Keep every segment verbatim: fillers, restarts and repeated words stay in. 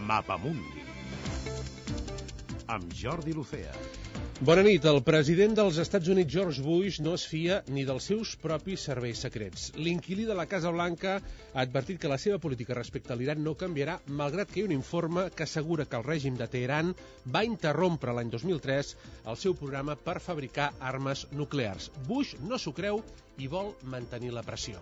Mapamundi amb Jordi Lucea. Bona nit. El president dels Estats Units, George Bush, no es fia ni dels seus propis serveis secrets. L'inquilí de la Casa Blanca ha advertit que la seva política respecte a l'Iran no canviarà, malgrat que hi ha un informe que assegura que el règim de Teheran va interrompre l'any dos mil tres el seu programa per fabricar armes nuclears. Bush no s'ho creu i vol mantenir la pressió.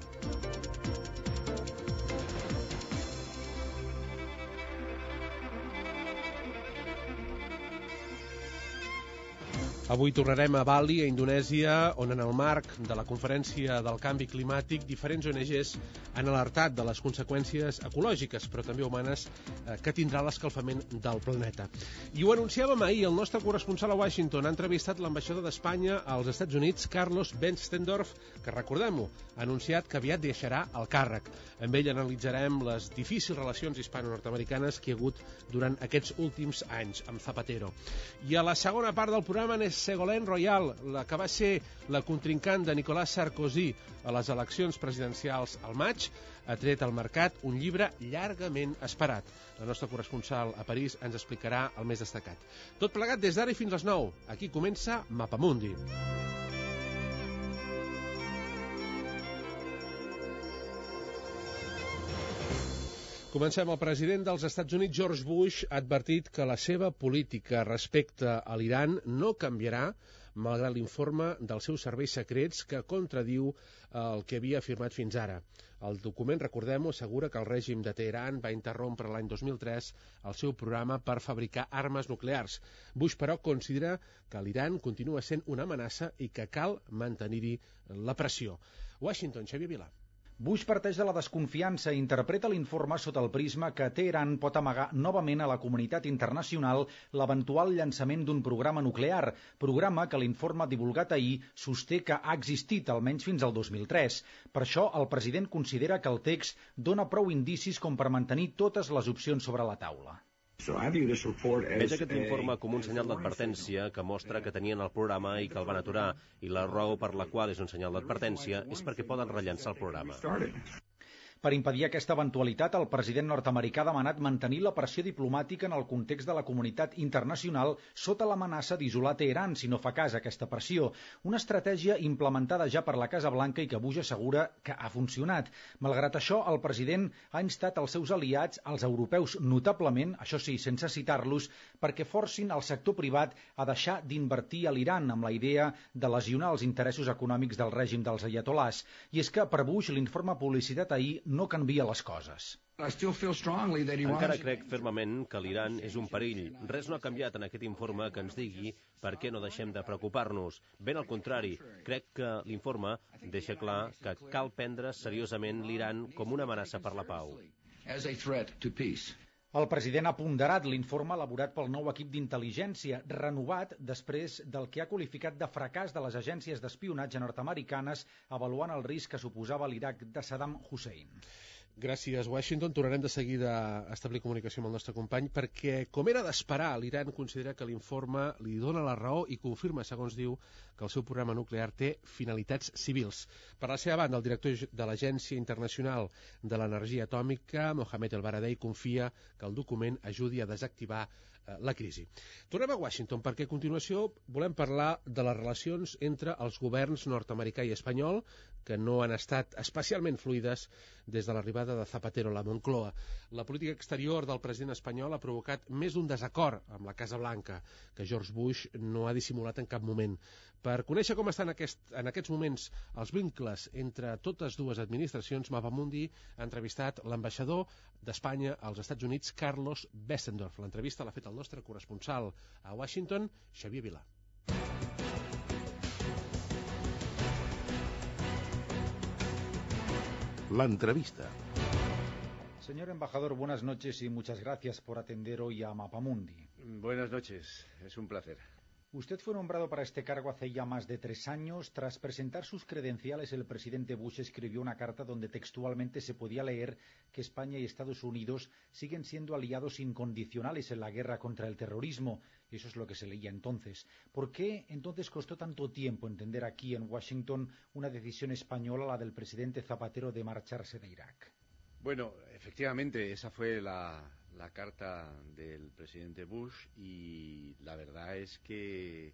Avui tornarem a Bali, a Indonèsia, on en el marc de la Conferència del Canvi Climàtic diferents O N Ges han alertat de les conseqüències ecològiques, però també humanes, eh, que tindrà l'escalfament del planeta. I ho anunciàvem ahir, el nostre corresponsal a Washington ha entrevistat l'ambaixador d'Espanya als Estats Units, Carlos Benzendorf, que, recordem-ho, ha anunciat que aviat deixarà el càrrec. Amb ell analitzarem les difícils relacions hispano-nord-americanes que hi ha hagut durant aquests últims anys amb Zapatero. I a la segona part del programa n'és Ségolène Royal, la que va ser la contrincant de Nicolas Sarkozy a les eleccions presidencials al maig, ha tret al mercat un llibre llargament esperat. La nostra corresponsal a París ens explicarà el més destacat. Tot plegat des d'ara i fins les nou. Aquí comença Mapamundi. Comencem. El president dels Estats Units, George Bush, ha advertit que la seva política respecte a l'Iran no canviarà, malgrat l'informe dels seus serveis secrets que contradiu el que havia afirmat fins ara. El document, recordem-ho, assegura que el règim de Teheran va interrompre l'any dos mil tres el seu programa per fabricar armes nuclears. Bush, però, considera que l'Iran continua sent una amenaça i que cal mantenir-hi la pressió. Washington, Xavier Vilà. Bush parteix de la desconfiança i interpreta l'informe sota el prisma que Teheran pot amagar novament a la comunitat internacional l'eventual llançament d'un programa nuclear, programa que l'informe divulgat ahir sosté que ha existit almenys fins al dos mil tres. Per això, el president considera que el text dona prou indicis com per mantenir totes les opcions sobre la taula. Veig aquest informe com un senyal d'advertència que mostra que tenien el programa i que el van aturar, i la raó per la qual és un senyal d'advertència és perquè poden rellançar el programa. Per impedir aquesta eventualitat, el president nord-americà ha demanat mantenir la pressió diplomàtica en el context de la comunitat internacional sota l'amenaça d'isolar Teheran si no fa cas a aquesta pressió, una estratègia implementada ja per la Casa Blanca i que Bush assegura que ha funcionat. Malgrat això, el president ha instat els seus aliats, els europeus notablement, això sí, sense citar-los, perquè forcin el sector privat a deixar d'invertir a l'Iran amb la idea de lesionar els interessos econòmics del règim dels aiatolars. I és que, per Bush, l'informe publicitat ahir no canvia les coses. Encara crec fermament que l'Iran és un perill. Res no ha canviat en aquest informe que ens digui per què no deixem de preocupar-nos. Ben al contrari, crec que l'informe deixa clar que cal prendre seriosament l'Iran com una amenaça per la pau. El president ha ponderat l'informe elaborat pel nou equip d'intel·ligència, renovat després del que ha qualificat de fracàs de les agències d'espionatge nord-americanes avaluant el risc que suposava l'Iraq de Saddam Hussein. Gràcies, Washington. Tornarem de seguida a establir comunicació amb el nostre company perquè, com era d'esperar, l'Iran considera que l'informe li dona la raó i confirma, segons diu, que el seu programa nuclear té finalitats civils. Per la seva banda, el director de l'Agència Internacional de l'Energia Atòmica, Mohamed El-Baradei, confia que el document ajudi a desactivar eh, la crisi. Tornem a Washington perquè a continuació volem parlar de les relacions entre els governs nord-americà i espanyol, que no han estat especialment fluides des de l'arribada de Zapatero a la Moncloa. La política exterior del president espanyol ha provocat més d'un desacord amb la Casa Blanca, que George Bush no ha dissimulat en cap moment. Per conèixer com estan aquest, en aquests moments els vincles entre totes dues administracions, Mapamundi ha entrevistat l'ambaixador d'Espanya als Estats Units, Carlos Benzendorf. L'entrevista l'ha fet el nostre corresponsal a Washington, Xavier Vilà. La entrevista. Señor embajador, buenas noches y muchas gracias por atender hoy a Mapamundi. Buenas noches, es un placer. Usted fue nombrado para este cargo hace ya más de tres años. Tras presentar sus credenciales, el presidente Bush escribió una carta donde textualmente se podía leer que España y Estados Unidos siguen siendo aliados incondicionales en la guerra contra el terrorismo. Eso es lo que se leía entonces. ¿Por qué entonces costó tanto tiempo entender aquí en Washington una decisión española, la del presidente Zapatero, de marcharse de Irak? Bueno, efectivamente, esa fue la, la carta del presidente Bush y la verdad es que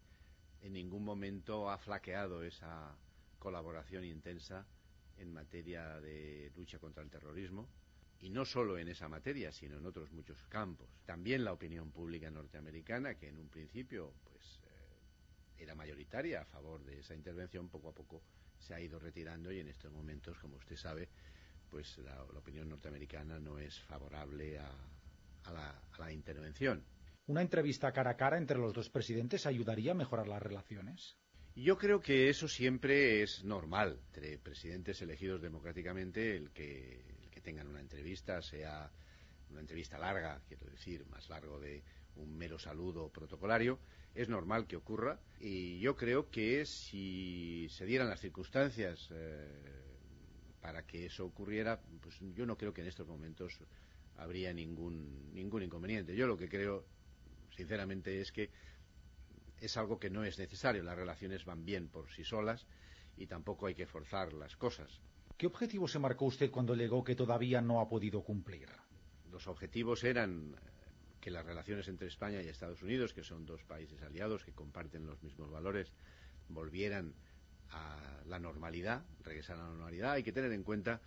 en ningún momento ha flaqueado esa colaboración intensa en materia de lucha contra el terrorismo, y no solo en esa materia, sino en otros muchos campos. También la opinión pública norteamericana, que en un principio pues eh, era mayoritaria a favor de esa intervención, poco a poco se ha ido retirando, y en estos momentos, como usted sabe, pues la, la opinión norteamericana no es favorable a, a, la, a la intervención. ¿Una entrevista cara a cara entre los dos presidentes ayudaría a mejorar las relaciones? Yo creo que eso siempre es normal entre presidentes elegidos democráticamente, el que, el que tengan una entrevista, sea una entrevista larga, quiero decir, más largo de un mero saludo protocolario, es normal que ocurra, y yo creo que si se dieran las circunstancias eh, para que eso ocurriera, pues yo no creo que en estos momentos habría ningún, ningún inconveniente. Yo lo que creo, sinceramente, es que es algo que no es necesario. Las relaciones van bien por sí solas y tampoco hay que forzar las cosas. ¿Qué objetivo se marcó usted cuando alegó que todavía no ha podido cumplir? Los objetivos eran que las relaciones entre España y Estados Unidos, que son dos países aliados que comparten los mismos valores, volvieran a la normalidad, regresaran a la normalidad. Hay que tener en cuenta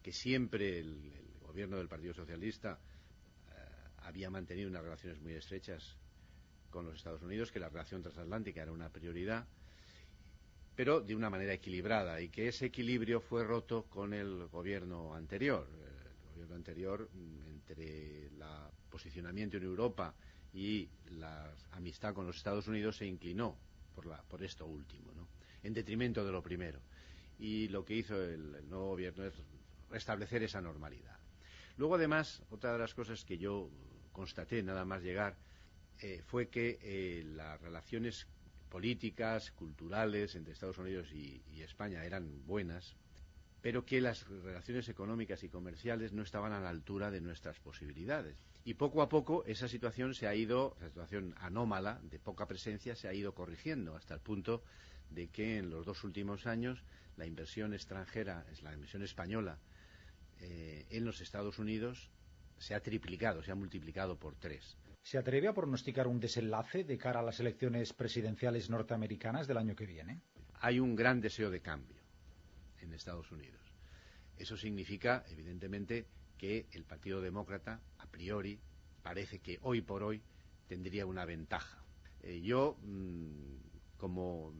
que siempre el, el gobierno del Partido Socialista eh, había mantenido unas relaciones muy estrechas con los Estados Unidos, que la relación transatlántica era una prioridad, pero de una manera equilibrada, y que ese equilibrio fue roto con el gobierno anterior. El gobierno anterior, entre el posicionamiento en Europa y la amistad con los Estados Unidos, se inclinó por, la, por esto último, ¿no?, en detrimento de lo primero. Y lo que hizo el, el nuevo gobierno es restablecer esa normalidad. Luego, además, otra de las cosas que yo constaté nada más llegar Eh, fue que eh, las relaciones políticas, culturales entre Estados Unidos y, y España eran buenas, pero que las relaciones económicas y comerciales no estaban a la altura de nuestras posibilidades. Y poco a poco esa situación se ha ido, esa situación anómala, de poca presencia, se ha ido corrigiendo, hasta el punto de que en los dos últimos años la inversión extranjera, es la inversión española, eh, en los Estados Unidos se ha triplicado, se ha multiplicado por tres. ¿Se atreve a pronosticar un desenlace de cara a las elecciones presidenciales norteamericanas del año que viene? Hay un gran deseo de cambio en Estados Unidos. Eso significa, evidentemente, que el Partido Demócrata, a priori, parece que hoy por hoy tendría una ventaja. Eh, yo, mmm, como,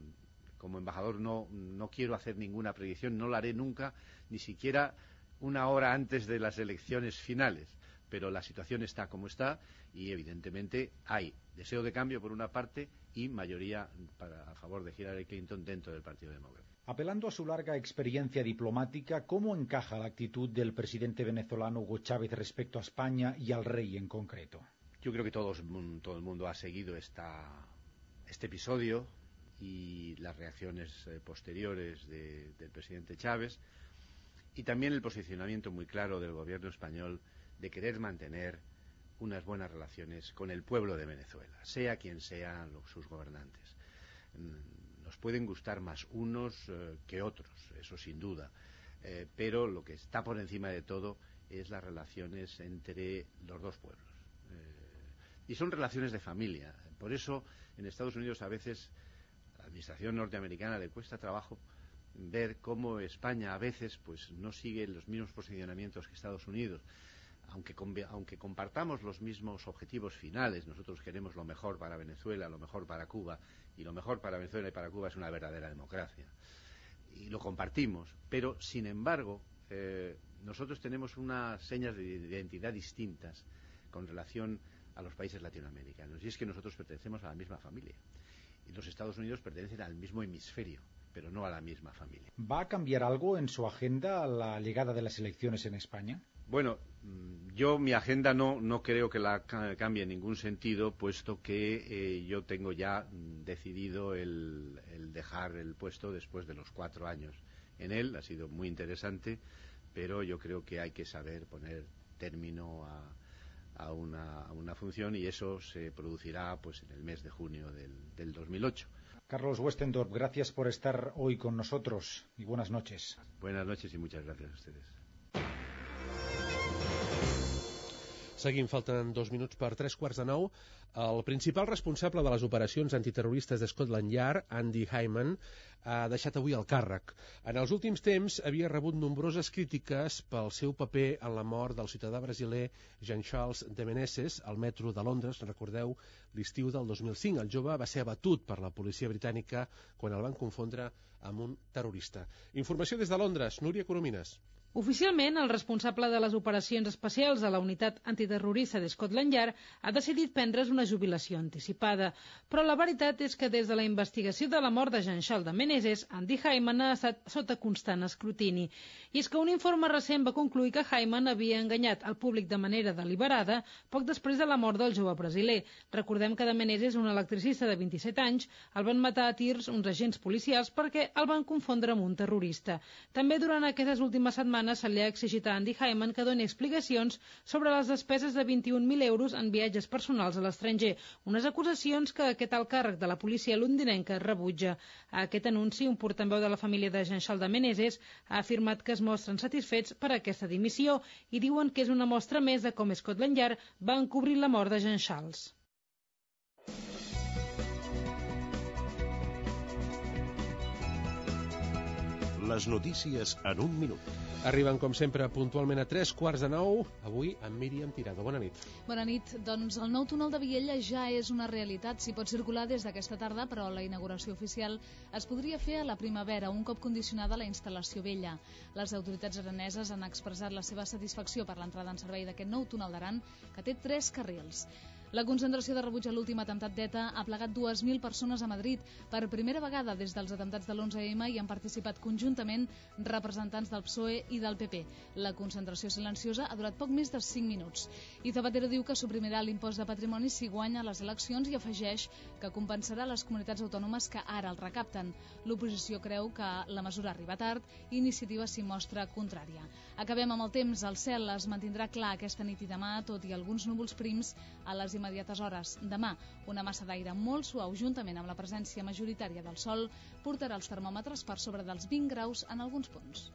como embajador, no, no quiero hacer ninguna predicción, no la haré nunca, ni siquiera una hora antes de las elecciones finales. Pero la situación está como está y evidentemente hay deseo de cambio por una parte y mayoría para, a favor de Hillary Clinton dentro del Partido Demócrata. Apelando a su larga experiencia diplomática, ¿cómo encaja la actitud del presidente venezolano Hugo Chávez respecto a España y al rey en concreto? Yo creo que todos, todo el mundo ha seguido esta, este episodio y las reacciones eh, posteriores de, del presidente Chávez, y también el posicionamiento muy claro del gobierno español de querer mantener unas buenas relaciones con el pueblo de Venezuela, sea quien sean los, sus gobernantes. Nos pueden gustar más unos eh, que otros, eso sin duda, eh, pero lo que está por encima de todo es las relaciones entre los dos pueblos. Eh, y son relaciones de familia. Por eso en Estados Unidos a veces a la administración norteamericana le cuesta trabajo ver cómo España a veces pues no sigue los mismos posicionamientos que Estados Unidos. Aunque, aunque compartamos los mismos objetivos finales, nosotros queremos lo mejor para Venezuela, lo mejor para Cuba, y lo mejor para Venezuela y para Cuba es una verdadera democracia. Y lo compartimos, pero sin embargo, eh, nosotros tenemos unas señas de identidad distintas con relación a los países latinoamericanos, y es que nosotros pertenecemos a la misma familia, y los Estados Unidos pertenecen al mismo hemisferio, pero no a la misma familia. ¿Va a cambiar algo en su agenda a la llegada de las elecciones en España? Bueno, yo mi agenda no, no creo que la cambie en ningún sentido, puesto que eh, yo tengo ya decidido el, el dejar el puesto después de los cuatro años en él. Ha sido muy interesante, pero yo creo que hay que saber poner término a, a, una, a una función, y eso se producirá pues en el mes de junio del, del dos mil ocho. Carlos Westendorp, gracias por estar hoy con nosotros y buenas noches. Buenas noches y muchas gracias a ustedes. Seguim, falten dos minuts per tres quarts de nou. El principal responsable de les operacions antiterroristes de Scotland Yard, Andy Hyman, ha deixat avui el càrrec. En els últims temps havia rebut nombroses crítiques pel seu paper en la mort del ciutadà brasiler Jean-Charles de Menezes al metro de Londres, recordeu, l'estiu del dos mil cinc. El jove va ser abatut per la policia britànica quan el van confondre amb un terrorista. Informació des de Londres, Núria Coromines. Oficialment, el responsable de les operacions especials de la unitat antiterrorista de Scotland Yard ha decidit prendre's una jubilació anticipada. Però la veritat és que des de la investigació de la mort de Jean-Charles de Menezes, Andy Hyman ha estat sota constant escrutini. I és que un informe recent va concluir que Hyman havia enganyat el públic de manera deliberada poc després de la mort del jove brasiler. Recordem que de Menezes, un electricista de vint-i-set anys, el van matar a tirs uns agents policials perquè el van confondre amb un terrorista. També durant aquestes últimes setmanes se li ha exigit a Andy Hyman que doni explicacions sobre les despeses de vint-i-un mil euros en viatges personals a l'estranger, unes acusacions que aquest alt càrrec de la policia londinenca rebutja. A aquest anunci, un portaveu de la família de Jean-Charles de Menezes ha afirmat que es mostren satisfets per aquesta dimissió i diuen que és una mostra més de com Scotland Yard va encobrir la mort de Jean-Charles. Les notícies en un minut. Arriben, com sempre, puntualment a tres quarts de nou, avui amb Míriam Tirado. Bona nit. Bona nit. Doncs el nou túnel de Viella ja és una realitat. S'hi pot circular des d'aquesta tarda, però la inauguració oficial es podria fer a la primavera, un cop condicionada la instal·lació vella. Les autoritats araneses han expressat la seva satisfacció per l'entrada en servei d'aquest nou túnel d'Aran, que té tres carrils. La concentració de rebuig a l'últim atemptat d'ETA ha plegat dues mil persones a Madrid. Per primera vegada des dels atemptats de l'onze eme hi han participat conjuntament representants del P S O E i del P P. La concentració silenciosa ha durat poc més de cinc minuts. I Zapatero diu que suprimirà l'impost de patrimoni si guanya les eleccions i afegeix que compensarà les comunitats autònomes que ara el recapten. L'oposició creu que la mesura arriba tard i Iniciativa s'hi mostra contrària. Acabem amb el temps. El cel es mantindrà clar aquesta nit i demà, tot i alguns núvols prims a les immediates hores. Demà, una massa d'aire molt suau juntament amb la presència majoritària del sol portarà els termòmetres per sobre dels vint graus en alguns punts.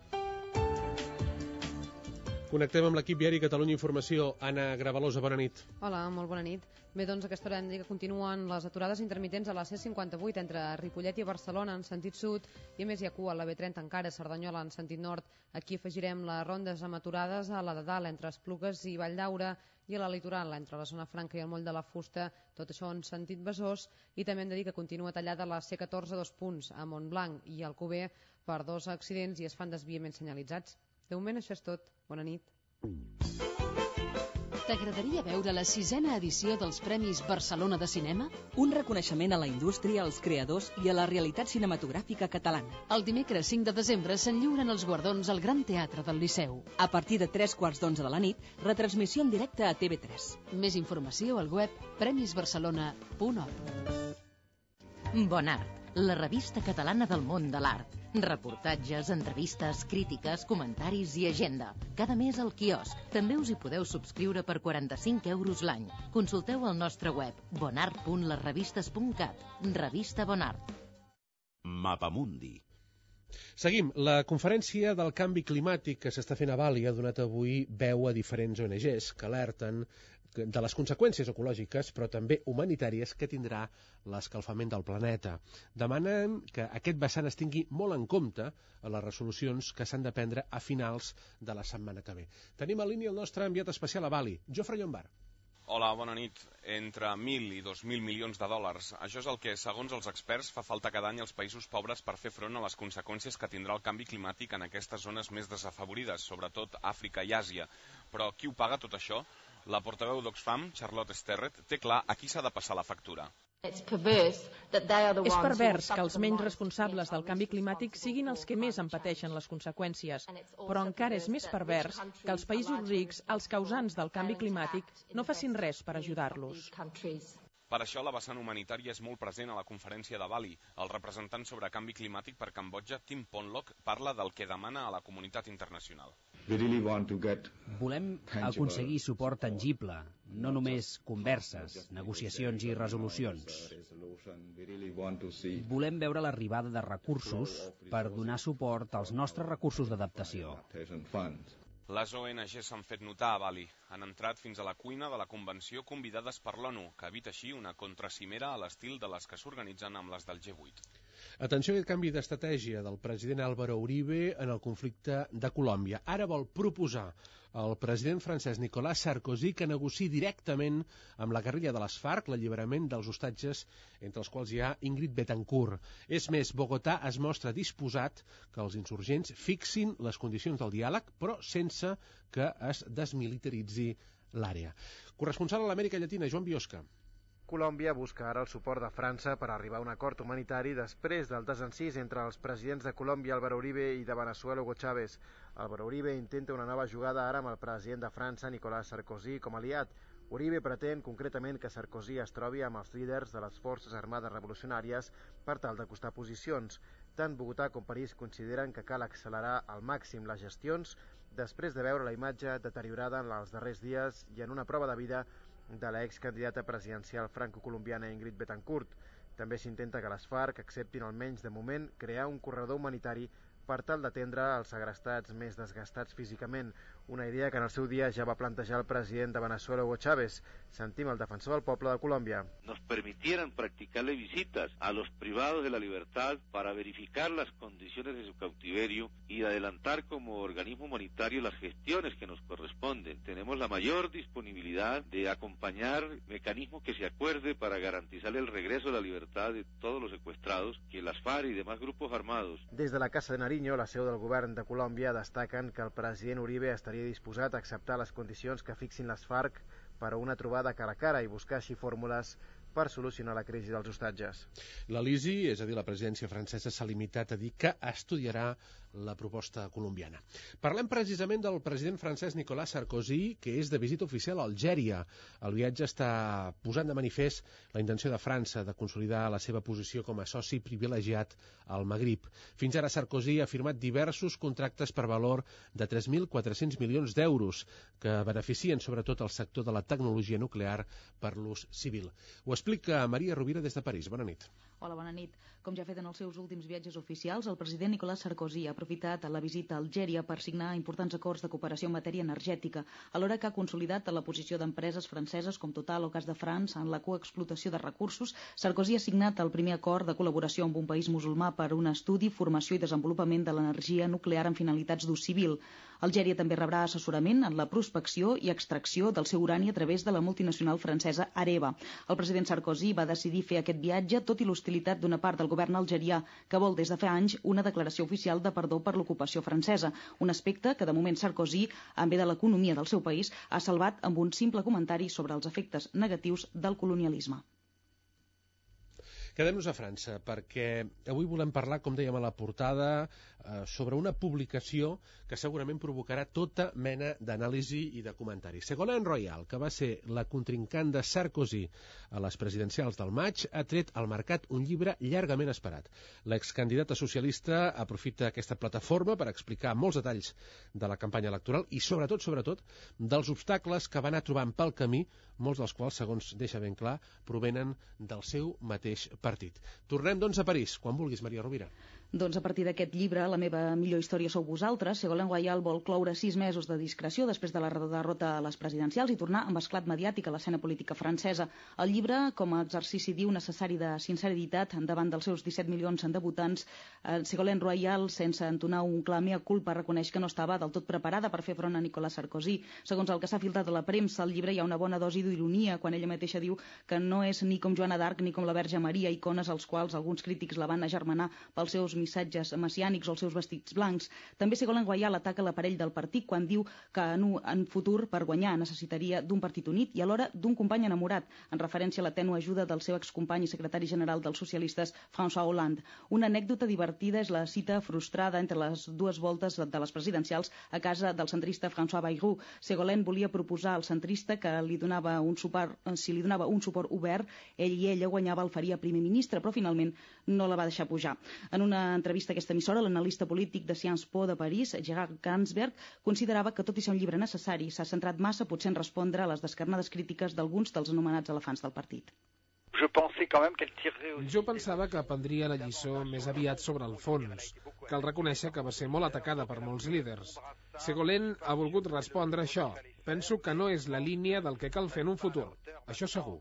Connectem amb l'equip diari Catalunya Informació. Anna Gravalosa, bona nit. Hola, molt bona nit. Bé, doncs aquesta hora hem de dir que continuen les aturades intermitents a la C cinquanta-vuit entre Ripollet i Barcelona en sentit sud i a més hi ha cua a la B trenta encara a Cerdanyola en sentit nord. Aquí afegirem les rondes amb aturades a la de dalt entre Esplugues i Valldaura i a la litoral entre la zona franca i el moll de la Fusta, tot això en sentit Besòs, i també hem de dir que continua tallada la C catorze dos punts a Montblanc i Alcover per dos accidents i es fan desviaments senyalitzats. De moment això és tot. Bona nit. T'agradaria veure la sisena edició dels Premis Barcelona de Cinema? Un reconeixement a la indústria, als creadors i a la realitat cinematogràfica catalana. El dimecres cinc de desembre s'en lliuren els guardons al Gran Teatre del Liceu. A partir de tres quarts d'onze de la nit, retransmissió en directe a T V tres. Més informació al web premis barcelona punt org. Bon Art, la revista catalana del món de l'art. Reportatges, entrevistes, crítiques, comentaris i agenda. Cada mes al quiosc. També us hi podeu subscriure per quaranta-cinc euros l'any. Consulteu el nostre web bonart punt les revistes punt cat. Revista Bon Art. Mapamundi. Seguim. La conferència del canvi climàtic que s'està fent a Bali ha donat avui veu a diferents O N Ges que alerten de les conseqüències ecològiques, però també humanitàries que tindrà l'escalfament del planeta. Demanen que aquest vessant es tingui molt en compte a les resolucions que s'han de prendre a finals de la setmana que ve. Tenim a línia el nostre enviat especial a Bali, Jofre Llombard. Hola, bona nit. Entre mil i dos mil milions de dòlars. Això és el que, segons els experts, fa falta cada any als països pobres per fer front a les conseqüències que tindrà el canvi climàtic en aquestes zones més desafavorides, sobretot Àfrica i Àsia. Però qui ho paga tot això? La portaveu d'Oxfam, Charlotte Sterrett, té clar a qui s'ha de passar la factura. És pervers que els menys responsables del canvi climàtic siguin els que més en pateixen les conseqüències, però encara és més pervers que els països rics, els causants del canvi climàtic, no facin res per ajudar-los. Per això la vessant humanitària és molt present a la conferència de Bali. El representant sobre canvi climàtic per Cambodja, Tim Ponlock, parla del que demana a la comunitat internacional. Volem aconseguir suport tangible, no només converses, negociacions i resolucions. Volem veure l'arribada de recursos per donar suport als nostres recursos d'adaptació. Les O N G s'han fet notar a Bali. Han entrat fins a la cuina de la convenció convidades per l'ONU, que evita així una contracimera a l'estil de les que s'organitzen amb les del G vuit. Atenció a aquest canvi d'estratègia del president Álvaro Uribe en el conflicte de Colòmbia. Ara vol proposar al president francès Nicolas Sarkozy que negociï directament amb la guerrilla de les FARC l'alliberament dels hostatges, entre els quals hi ha Ingrid Betancourt. És més, Bogotà es mostra disposat que els insurgents fixin les condicions del diàleg, però sense que es desmilitaritzi l'àrea. Corresponsal a l'Amèrica Llatina, Joan Biosca. Colòmbia busca ara el suport de França per arribar a un acord humanitari després del desencís entre els presidents de Colòmbia, Álvaro Uribe, i de Veneçuela, Hugo Chávez. Álvaro Uribe intenta una nova jugada ara amb el president de França, Nicolas Sarkozy, com a aliat. Uribe pretén concretament que Sarkozy es trobi amb els líders de les Forces Armades Revolucionàries per tal d'acostar posicions. Tant Bogotà com París consideren que cal accelerar al màxim les gestions després de veure la imatge deteriorada en els darrers dies i en una prova de vida de l'excandidata presidencial franco-colombiana Ingrid Betancourt. També s'intenta que les FARC acceptin almenys de moment crear un corredor humanitari per tal d'atendre els segrestats més desgastats físicament, una idea que en el seu dia ja va plantejar el president de Veneçuela, Hugo Chávez. Sentim el defensor del poble de Colòmbia. Nos permitieran practicarle visitas a los privados de la libertad para verificar las condiciones de su cautiverio y adelantar como organismo humanitario las gestiones que nos corresponden. Tenemos la mayor disponibilidad de acompañar mecanismos que se acuerde para garantizar el regreso a la libertad de todos los secuestrados que las FARC y demás grupos armados. Des de la Casa de Nariño, la seu del govern de Colòmbia, destaquen que el president Uribe estaria disposat a acceptar les condicions que fixin les FARC per a una trobada cara a cara i buscar així fórmules per solucionar la crisi dels hostatges. L'Elisi, és a dir, la presidència francesa, s'ha limitat a dir que estudiarà la proposta colombiana. Parlem precisament del president francès Nicolas Sarkozy, que és de visita oficial a Algèria. El viatge està posant de manifest la intenció de França de consolidar la seva posició com a soci privilegiat al Magrib. Fins ara Sarkozy ha firmat diversos contractes per valor de tres mil quatre-cents milions d'euros que beneficien sobretot el sector de la tecnologia nuclear per l'ús civil. Ho explica Maria Rovira des de París. Bona nit. Hola, bona nit. Com ja ha fet en els seus últims viatges oficials, el president Nicolas Sarkozy ha aprofitat la visita a Algèria per signar importants acords de cooperació en matèria energètica, alhora que ha consolidat la posició d'empreses franceses com Total o Gas de France en la coexplotació de recursos. Sarkozy ha signat el primer acord de col·laboració amb un país musulmà per un estudi, formació i desenvolupament de l'energia nuclear en finalitats d'ús civil. Algèria també rebrà assessorament en la prospecció i extracció del seu urani a través de la multinacional francesa Areva. El president Sarkozy va decidir fer aquest viatge tot i l'hostilitat d'una part del govern algerià que vol des de fa anys una declaració oficial de perdó per l'ocupació francesa, un aspecte que de moment Sarkozy, en bé de l'economia del seu país, ha salvat amb un simple comentari sobre els efectes negatius del colonialisme. Quedem-nos a França, perquè avui volem parlar, com dèiem a la portada, eh, sobre una publicació que segurament provocarà tota mena d'anàlisi i de comentari. Ségolène Royal, que va ser la contrincant de Sarkozy a les presidencials del maig, ha tret al mercat un llibre llargament esperat. L'excandidata socialista aprofita aquesta plataforma per explicar molts detalls de la campanya electoral i, sobretot, sobretot, dels obstacles que va anar trobant pel camí, molts dels quals, segons deixa ben clar, provenen del seu mateix partit. Tornem, doncs, a París. Quan vulguis, Maria Rovira. Doncs a partir d'aquest llibre, La meva millor història sou vosaltres, Ségolène Royal vol cloure sis mesos de discreció després de la derrota a les presidencials i tornar amb esclat mediàtic a l'escena política francesa. El llibre, com a exercici diu necessari de sinceritat davant dels seus disset milions de votants, eh, Ségolène Royal, sense entonar un clar mea culpa, reconeix que no estava del tot preparada per fer front a Nicolas Sarkozy. Segons el que s'ha filtrat a la premsa, al llibre hi ha una bona dosi d'ironia quan ella mateixa diu que no és ni com Joana d'Arc ni com la Verge Maria, icones als quals alguns crítics la van agermanar pels seus missatges messiànics o els seus vestits blancs. També Ségolène Royal ataca l'aparell del partit quan diu que en, en futur per guanyar necessitaria d'un partit unit i alhora d'un company enamorat, en referència a la tènue ajuda del seu excompany i secretari general dels socialistes François Hollande. Una anècdota divertida és la cita frustrada entre les dues voltes de les presidencials a casa del centrista François Bayrou. Ségolène volia proposar al centrista que li donava un suport, si li donava un suport obert, ell i ella guanyava el faria primer ministre, però finalment no la va deixar pujar. En una entrevista a aquesta emissora, l'analista polític de Sciences Po de París, Gerard Gansberg, considerava que tot i ser un llibre necessari, s'ha centrat massa potser en respondre a les descarnades crítiques d'alguns dels anomenats elefants del partit. Jo pensava que prendria la lliçó més aviat sobre el fons. Cal reconèixer que va ser molt atacada per molts líders. Ségolène ha volgut respondre això. Penso que no és la línia del que cal fer en un futur. Això segur.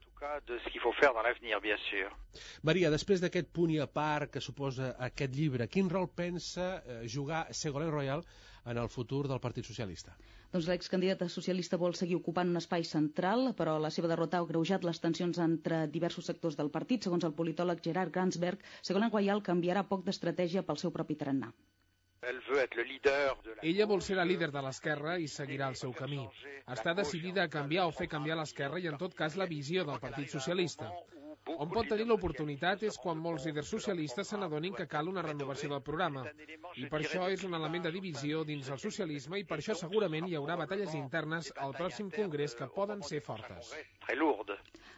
Maria, després d'aquest punt i a part que suposa aquest llibre, quin rol pensa jugar Ségolène Royal en el futur del Partit Socialista? Doncs l'excandidata socialista vol seguir ocupant un espai central, però la seva derrota ha agreujat les tensions entre diversos sectors del partit. Segons el politòleg Gerard Gansberg, Ségolène Royal canviarà poc d'estratègia pel seu propi tarannà. Ella vol ser la líder de l'esquerra i seguirà el seu camí. Està decidida a canviar o fer canviar l'esquerra i, en tot cas, la visió del Partit Socialista. On pot tenir l'oportunitat és quan molts líders socialistes se n'adonin que cal una renovació del programa. I per això és un element de divisió dins el socialisme i per això segurament hi haurà batalles internes al pròxim congrés que poden ser fortes.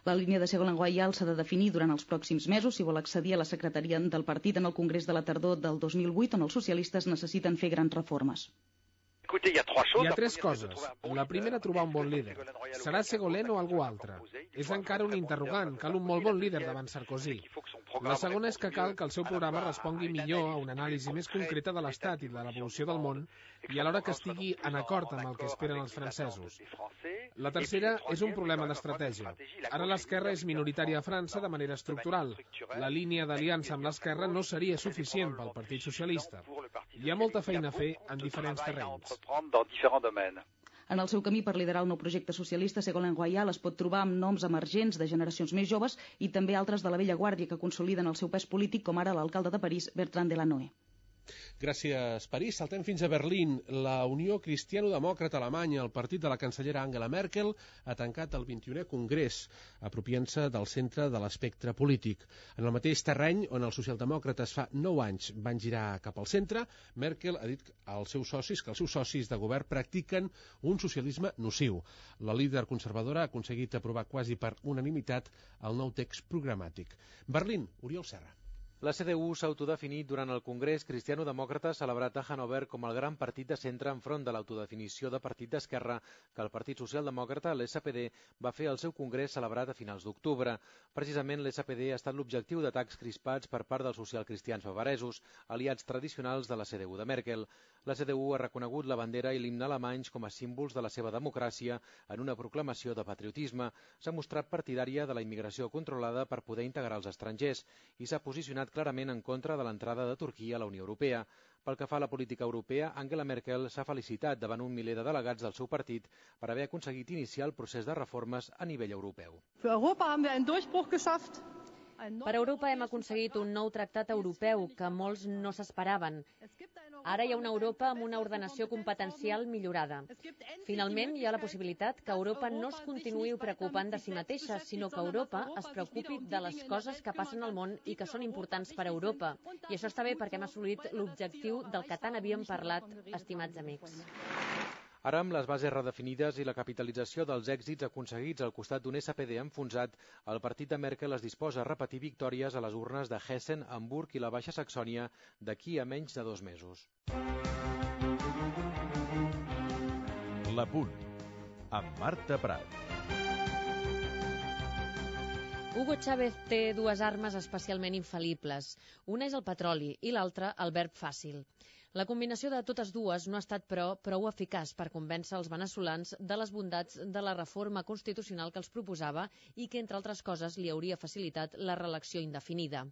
La línia de Ségolène Royal s'ha de definir durant els pròxims mesos si vol accedir a la secretaria del partit en el congrés de la tardor del dos mil vuit, on els socialistes necessiten fer grans reformes. Hi ha tres coses. La primera, trobar un bon líder. Serà Ségolène o algú altre? És encara un interrogant. Cal un molt bon líder davant Sarkozy. La segona és que cal que el seu programa respongui millor a una anàlisi més concreta de l'Estat i de l'evolució del món i alhora que estigui en acord amb el que esperen els francesos. La tercera és un problema d'estratègia. Ara l'esquerra és minoritària a França de manera estructural. La línia d'aliança amb l'esquerra no seria suficient pel Partit Socialista. Hi ha molta feina a fer en diferents terrenys. En el seu camí per liderar el nou projecte socialista, Ségolène Royal es pot trobar amb noms emergents de generacions més joves i també altres de la vella guàrdia que consoliden el seu pes polític, com ara l'alcalde de París, Bertrand Delanoë. Gràcies, París. Saltem fins a Berlín. La Unió Cristiano-Demòcrata Alemanya, el partit de la cancellera Angela Merkel, ha tancat el vint-i-unè congrés, apropiant-se del centre de l'espectre polític. En el mateix terreny on els socialdemòcrates fa nou anys van girar cap al centre, Merkel ha dit als seus socis que els seus socis de govern practiquen un socialisme nociu. La líder conservadora ha aconseguit aprovar quasi per unanimitat el nou text programàtic. Berlín, Oriol Serra. La C D U s'ha autodefinit durant el Congrés Cristiano-Demòcrata celebrat a Hannover com el gran partit de centre enfront de l'autodefinició de partit d'esquerra que el Partit Socialdemòcrata, l'S P D, va fer al seu congrés celebrat a finals d'octubre. Precisament l'S P D ha estat l'objectiu d'atacs crispats per part dels socialcristians bavaresos, aliats tradicionals de la C D U de Merkel. La C D U ha reconegut la bandera i l'himne alemanys com a símbols de la seva democràcia en una proclamació de patriotisme. S'ha mostrat partidària de la immigració controlada per poder integrar els estrangers i s'ha posicionat clarament en contra de l'entrada de Turquia a la Unió Europea. Pel que fa a la política europea, Angela Merkel s'ha felicitat davant un miler de delegats del seu partit per haver aconseguit iniciar el procés de reformes a nivell europeu. Per Europa hem aconseguit un nou tractat europeu que molts no s'esperaven. Ara hi ha una Europa amb una ordenació competencial millorada. Finalment, hi ha la possibilitat que Europa no es continuï preocupant de si mateixa, sinó que Europa es preocupi de les coses que passen al món i que són importants per a Europa. I això està bé perquè hem assolit l'objectiu del que tant havíem parlat, estimats amics. Ara, amb les bases redefinides i la capitalització dels èxits aconseguits al costat d'un S P D enfonsat, el partit de Merkel es disposa a repetir victòries a les urnes de Hessen, Hamburg i la Baixa Saxònia d'aquí a menys de dos mesos. La Punt, amb Marta Prat. Hugo Chávez té dues armes especialment infal·libles. Una és el petroli i l'altra el verb fàcil. La combinació de totes dues no ha estat, però, prou eficaç per convèncer els veneçolans de les bondats de la reforma constitucional que els proposava i que, entre altres coses, li hauria facilitat la reelecció indefinida.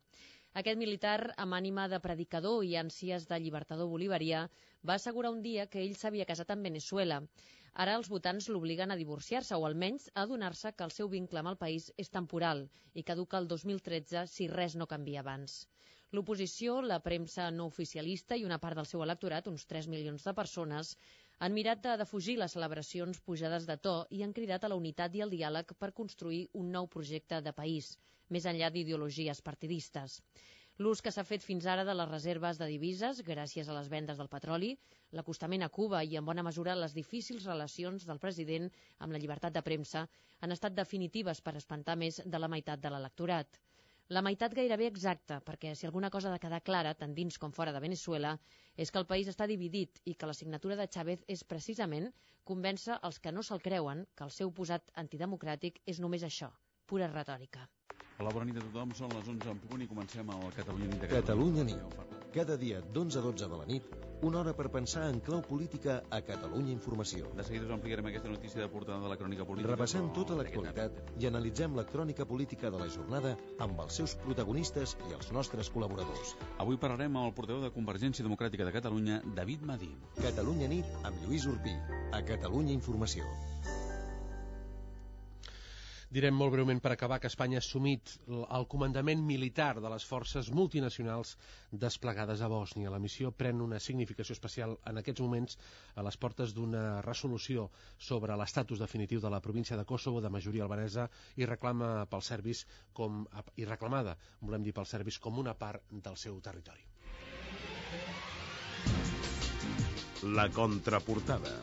Aquest militar, amb ànima de predicador i ànsies de llibertador bolivarià, va assegurar un dia que ell s'havia casat amb Veneçuela. Ara els votants l'obliguen a divorciar-se o almenys a adonar-se que el seu vincle amb el país és temporal i caduca el dos mil tretze si res no canvia abans. L'oposició, la premsa no oficialista i una part del seu electorat, uns tres milions de persones, han mirat de defugir les celebracions pujades de to i han cridat a la unitat i al diàleg per construir un nou projecte de país, més enllà d'ideologies partidistes. L'ús que s'ha fet fins ara de les reserves de divises, gràcies a les vendes del petroli, l'acostament a Cuba i, en bona mesura, les difícils relacions del president amb la llibertat de premsa han estat definitives per espantar més de la meitat de l'electorat. La meitat gairebé exacta, perquè si alguna cosa ha de quedar clara, tant dins com fora de Veneçuela, és que el país està dividit i que la signatura de Chávez és precisament convèncer els que no se'l creuen que el seu posat antidemocràtic és només això, pura retòrica. Hola, bona nit a tothom, són les onze en punt i comencem al Catalunya Nit. Catalunya Nit, cada dia d'onze a dotze de la nit, Una hora per pensar en clau política a Catalunya Informació. De seguida us ampliarem aquesta notícia de portada de la crònica política. Repassem tota l'actualitat i analitzem la crònica política de la jornada amb els seus protagonistes i els nostres col·laboradors. Avui parlarem amb el portaveu de Convergència Democràtica de Catalunya, David Madí. Catalunya nit amb Lluís Urpí, a Catalunya Informació. Direm molt breument per acabar que Espanya ha assumit el comandament militar de les forces multinacionals desplegades a Bòsnia. La missió pren una significació especial en aquests moments a les portes d'una resolució sobre l'estatus definitiu de la província de Kosovo de majoria albanesa i reclama pels serbis com i reclamada, volem dir pels serbis, com una part del seu territori. La contraportada.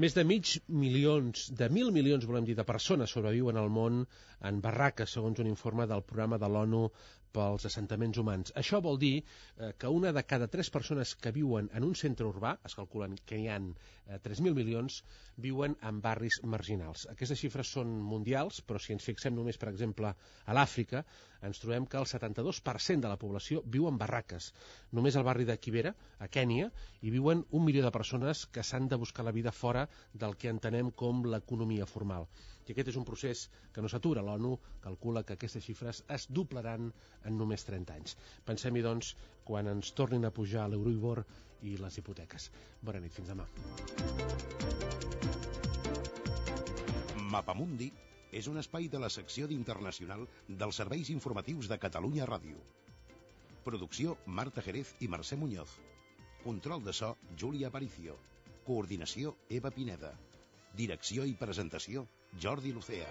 Més de mig milions, de mil milions, volem dir, de persones sobreviuen al món en barraques, segons un informe del programa de l'ONU pels assentaments humans. Això vol dir eh, que una de cada tres persones que viuen en un centre urbà, es calculen que hi ha eh, tres mil milions, viuen en barris marginals. Aquestes xifres són mundials, però si ens fixem només, per exemple, a l'Àfrica, ens trobem que el setanta-dos per cent de la població viu en barraques. Només al barri de Kibera, a Kènia, hi viuen un milió de persones que s'han de buscar la vida fora del que entenem com l'economia formal. I aquest és un procés que no s'atura. L'ONU calcula que aquestes xifres es doblaran en només trenta anys. Pensem-hi, doncs, quan ens tornin a pujar l'Euribor i les hipoteques. Bona nit, fins demà. Mapamundi és un espai de la secció d'Internacional dels serveis informatius de Catalunya Ràdio. Producció Marta Jerez i Mercè Muñoz. Control de so Júlia Aparicio. Coordinació Eva Pineda. Direcció i presentació Jordi Lucea.